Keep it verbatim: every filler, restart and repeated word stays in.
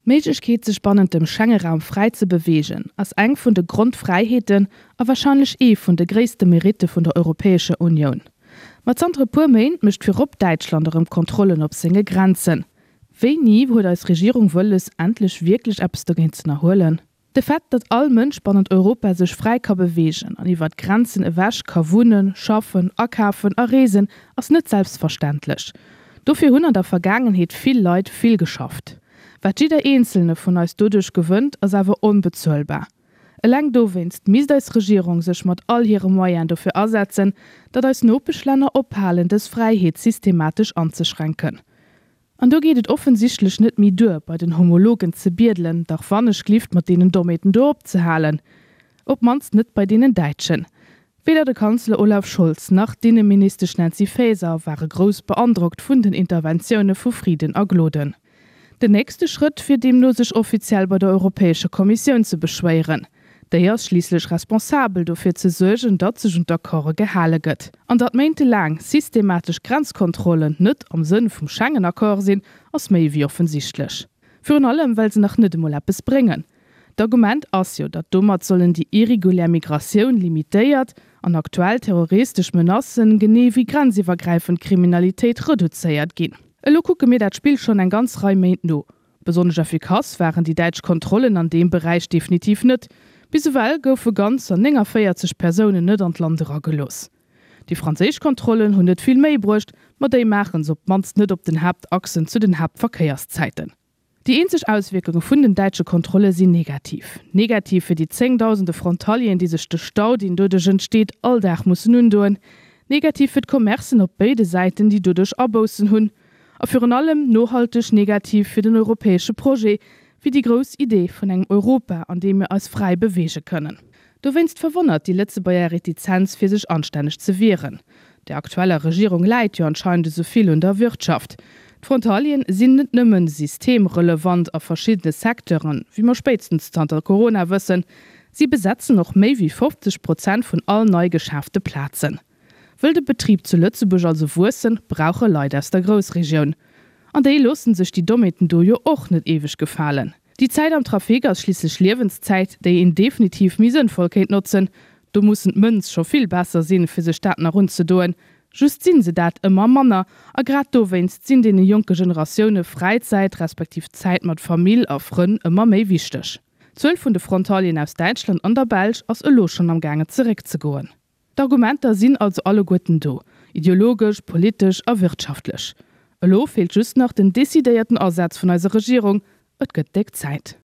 D'Méiglechkeet, sech bannent dem Schengeraum fräi ze beweegen, ass eng vun de Grondfräiheeten a warscheinlech ee vun de gréisste Meritte vun der Europäescher Unioun. Ma zanter e puer Méint mécht virop Däitschland erëm Kontrollen op senge Grenzen. Wéini huet eis Regierung wëlles, endlech wierklech eppes dogéint z'ënnerhuelen? De Fait, datt all Mënsch bannent Europa sech fräi ka beweegen an iwwer d'Grenzen ewech ka wunnen, schaffen, akafen a reesen, ass net selbstverständlech. Dofir hunn an der Vergaangenheet vill Leit vill geschafft. Wat jidder Eenzelne vun eis doduerch gewënnt, ass awer onbezuelbar. Eleng dowéinst misst eis Regierung sech mat all hire Moyen dofir asetzen, datt eis Nopeschlänner ophalen, dës Fräiheet systematesch anzeschränken. An do geet et offensichtlech net méi duer, bei den Homologen ze biedelen, dach wannechglift mat deenen Dommheeten do opzehalen. Op d'mannst net bei deenen Däitschen. Weder de Kanzler Olaf Scholz nach d'Inneministesch Nancy Faeser ware grouss beandrockt vun den Interventioune vu Frieden a Gloden. Den nächste Schrëtt wier deemno sech offiziell bei der Europäescher Kommissioun ze beschwéieren. Déi ass schliisslech responsabel dofir ze suergen, datt sech un d'Accorde gehale gëtt. An datt méintelaang systematesch Grenzkontrollen net am Sënn vum Schengen-Accord sinn, ass méi wéi offensichtlech. Virun allem well se nach net emol eppes bréngen. D'Argument ass jo, datt domat sollen déi irregulär Migratioun limitéiert an aktuell terroristesch Menacen, genee wéi grenziwwergräifend Kriminalitéit reduzéiert ginn. Elo kucke mir dat Spill schonn eng ganz Rei Méint no. Besonnesch effikass waren déi däitsch Kontrollen an deem Beräich definitiv net. Bis ewell goufe ganzer néngavéierzeg Persounen net an d'Land eragelooss. Déi franséisch Kontrollen hunn net vill méi bruecht, ma déi maache se op d'mannst net op den Haaptachsen zu den Haaptverkéierszäiten. Déi eenzeg Auswierkunge vun den däitsche Kontrolle sinn negativ. Negativ fir déi zéngdausende Frontalieren, déi sech de Stau, deen doduerch entsteet, all Dag mussen undoen. Negativ fir d'Commercen op béide Säiten, déi doduerch Aboussen hunn. A virun allem nohalteg negativ fir den europäesche Projet, fir déi grouss Idee vun engem Europa, an deem mir eis fräi beweege kënnen. Dowéinst verwonnert déi Lëtzebuerger Retizenz, fir sech anstänneg ze wieren. Der aktueller Regierung läit jo anscheinend esou vill un der Wirtschaft. D'Frontalieren sinn net nëmmen systemrelevant a verschiddene Secteuren, wéi mer spéitstens zanter Corona wëssen, si besetzen och méi wéi fofzeg Prozent vun all nei geschaafte Plazen. Wëll de Betrib zu Lëtzebuerg also wuessen, brauch e Leit aus der Groussregioun. An déi loossen sech déi Dommheeten do jo och net éiweg gefalen. Déi Zäit am Trafic ass schliisslech Liewenszäit, déi een definitiv méi sënnvoll kéint notzen. Do mussen d'Mënz scho vill besser sinn, fir sech dat nach unzedoen. Just sinn se dat ëmmer manner. A grad dowéinst sinn deene jonke Generatioune Fräizäit, respektiv Zäit mat Famill a Frënn ëmmer méi wichteg. D'Zuel vun de Frontalieren aus Däitschland an der Belsch ass elo schonn am gaangen zeréckzegoen. D'Argumenter sinn also alleguerten do, ideologesch, politesch a wirtschaftlech. Elo feelt just nach den decidéierten Asaz vun eiser Regierung. Et gëtt déck Zäit.